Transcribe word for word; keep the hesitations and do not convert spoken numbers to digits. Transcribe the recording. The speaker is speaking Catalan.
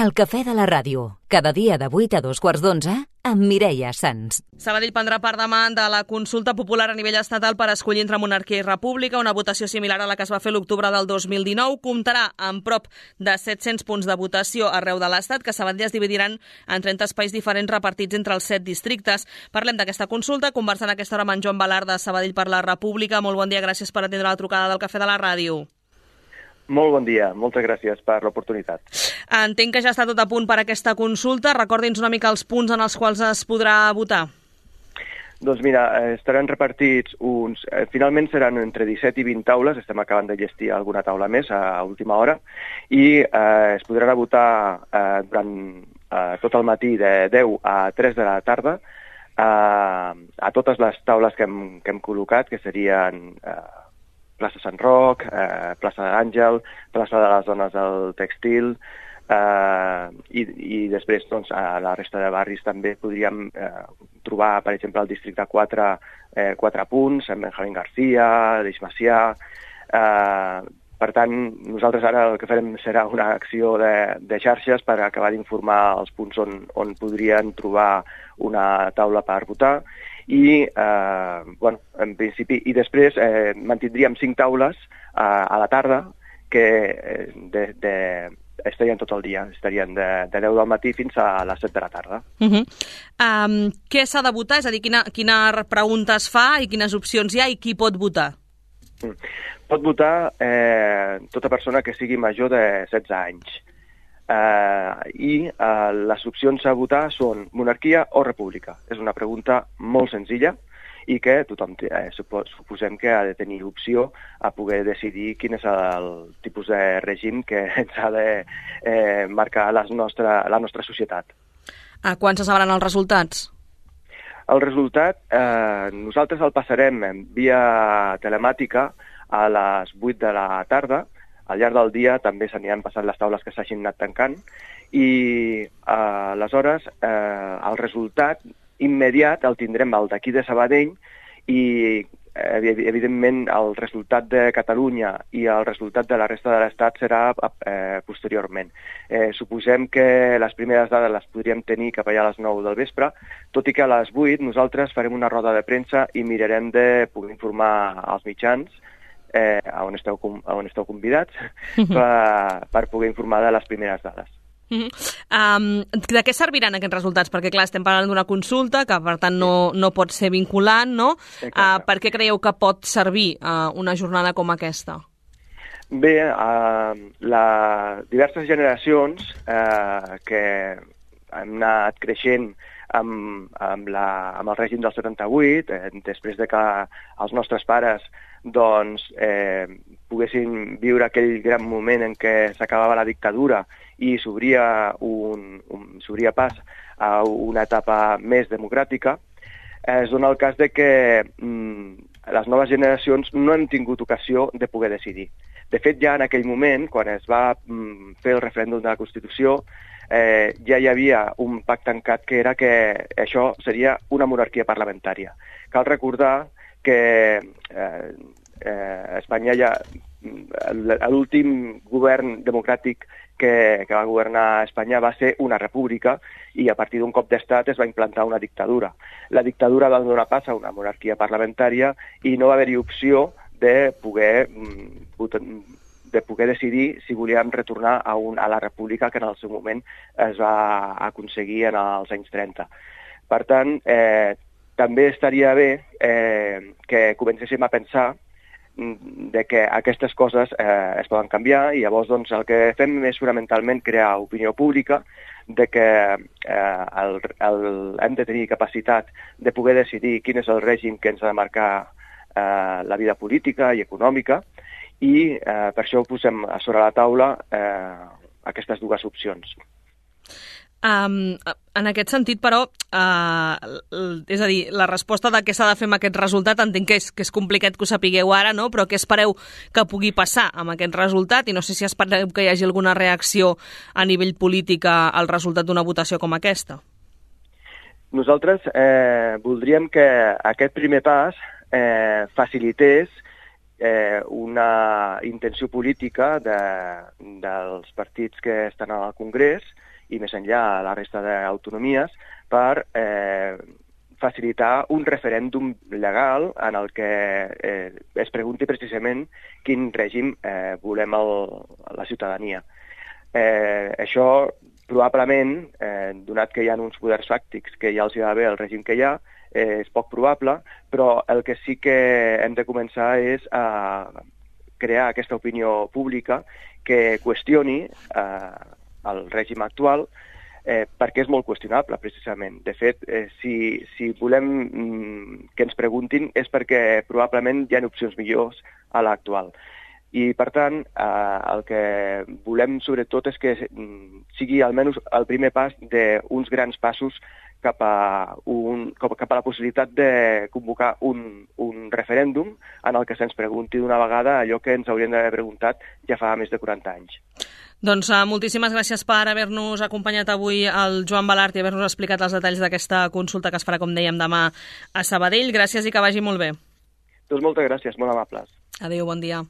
El cafè de la ràdio, cada dia de vuit a dos quarts d'onze, amb Mireia Sans. Sabadell prendrà part demà de la consulta popular a nivell estatal per escollir entre monarquia i república, una votació similar a la que es va fer l'octubre del dos mil dinou. Comptarà amb prop de set-cents punts de votació arreu de l'Estat, que a Sabadell es dividiran en trenta espais diferents repartits entre els set districtes. Parlem d'aquesta consulta, conversant a aquesta hora amb en Joan Balart de Sabadell per la República. Molt bon dia, gràcies per atendre la trucada del Cafè de la Ràdio. Molt bon dia, moltes gràcies per l'oportunitat. Entenc que ja està tot a punt per aquesta consulta. Recordi'ns una mica els punts en els quals es podrà votar. Doncs mira, estaran repartits uns... Finalment seran entre disset i vint taules, estem acabant de llestir alguna taula més a última hora, i eh, es podran votar eh, durant eh, tot el matí de deu a tres de la tarda eh, a totes les taules que hem, que hem col·locat, que serien... Eh, plaça Sant Roc, eh, plaça d'Àngel, plaça de les Dones del Tèxtil, eh, i, i després doncs, a la resta de barris també podríem eh, trobar, per exemple, al districte quatre, eh, quatre punts, amb Benjamín García, Deix Macià. Eh, per tant, nosaltres ara el que farem serà una acció de, de xarxes per acabar d'informar els punts on, on podrien trobar una taula per votar. I, eh, bueno, en principi, i després eh, mantindríem cinc taules eh, a la tarda que eh, de, de, estarien tot el dia, estarien de, de deu del matí fins a les set de la tarda. Uh -huh. um, què s'ha de votar? És a dir, quina, quina pregunta es fa i quines opcions hi ha i qui pot votar? Mm. Pot votar eh, tota persona que sigui major de setze anys. Uh, i uh, les opcions a votar són monarquia o república. És una pregunta molt senzilla i que tothom eh, suposem que ha de tenir opció a poder decidir quin és el tipus de règim que ens ha de eh, marcar la nostra, la nostra societat. A quan se sabran els resultats? El resultat eh, nosaltres el passarem via telemàtica a les vuit de la tarda. Al llarg del dia també s'aniran passant les taules que s'hagin anat tancant i eh, aleshores eh, el resultat immediat el tindrem el d'aquí de Sabadell i eh, evidentment el resultat de Catalunya i el resultat de la resta de l'Estat serà eh, posteriorment. Eh, suposem que les primeres dades les podríem tenir cap allà a les nou del vespre, tot i que a les vuit nosaltres farem una roda de premsa i mirarem de poder informar als mitjans Eh, on, esteu, on esteu convidats per, per poder informar de les primeres dades. Uh -huh. um, de què serviran aquests resultats? Perquè, clar, estem parlant d'una consulta que, per tant, no, no pot ser vinculant, no? Uh, per què creieu que pot servir uh, una jornada com aquesta? Bé, uh, la, diverses generacions uh, que hem anat creixent amb, amb, la, amb el règim del setanta-vuit, eh, després de que els nostres pares doncs, eh, poguessin viure aquell gran moment en què s'acabava la dictadura i s'obria un, un, s'obria pas a una etapa més democràtica, eh, es dona el cas de que mm, les noves generacions no han tingut ocasió de poder decidir. De fet, ja en aquell moment, quan es va mm, fer el referèndum de la Constitució, eh, ja hi havia un pacte tancat que era que això seria una monarquia parlamentària. Cal recordar que eh, eh, Espanya ja, l'últim govern democràtic que, que va governar Espanya va ser una república i a partir d'un cop d'estat es va implantar una dictadura. La dictadura va donar pas a una monarquia parlamentària i no va haver-hi opció de poder, de poder decidir si volíem retornar a, un, a la república que en el seu moment es va aconseguir en els anys trenta. Per tant, eh, també estaria bé eh, que comencéssim a pensar de que aquestes coses eh, es poden canviar i llavors doncs, el que fem és fonamentalment crear opinió pública de que eh, el, el, hem de tenir capacitat de poder decidir quin és el règim que ens ha de marcar eh, la vida política i econòmica i eh, per això ho posem a sobre la taula eh, aquestes dues opcions. Um, en aquest sentit, però, uh, és a dir, la resposta de què s'ha de fer amb aquest resultat entenc que és, que és complicat que ho sapigueu ara, no? Però què espereu que pugui passar amb aquest resultat? I no sé si espereu que hi hagi alguna reacció a nivell polític al resultat d'una votació com aquesta. Nosaltres eh, voldríem que aquest primer pas eh, facilités eh, una intenció política de, dels partits que estan al Congrés i més enllà a la resta d'autonomies per eh, facilitar un referèndum legal en el que eh, es pregunti precisament quin règim eh, volem el, la ciutadania. Eh, això probablement, eh, donat que hi ha uns poders fàctics que ja els hi va bé el règim que hi ha, eh, és poc probable, però el que sí que hem de començar és a crear aquesta opinió pública que qüestioni eh, el règim actual, Eh, perquè és molt qüestionable, precisament. De fet, eh, si, si volem mm, que ens preguntin és perquè probablement hi ha opcions millors a l'actual. I, per tant, eh, el que volem, sobretot, és que mm, sigui almenys el primer pas d'uns grans passos cap a, un, cap a la possibilitat de convocar un, un referèndum en el que se'ns pregunti d'una vegada allò que ens haurien d'haver preguntat ja fa més de quaranta anys. Doncs uh, moltíssimes gràcies per haver-nos acompanyat avui el Joan Balart i haver-nos explicat els detalls d'aquesta consulta que es farà, com dèiem, demà a Sabadell. Gràcies i que vagi molt bé. Doncs moltes gràcies, molt amables. Adéu, bon dia.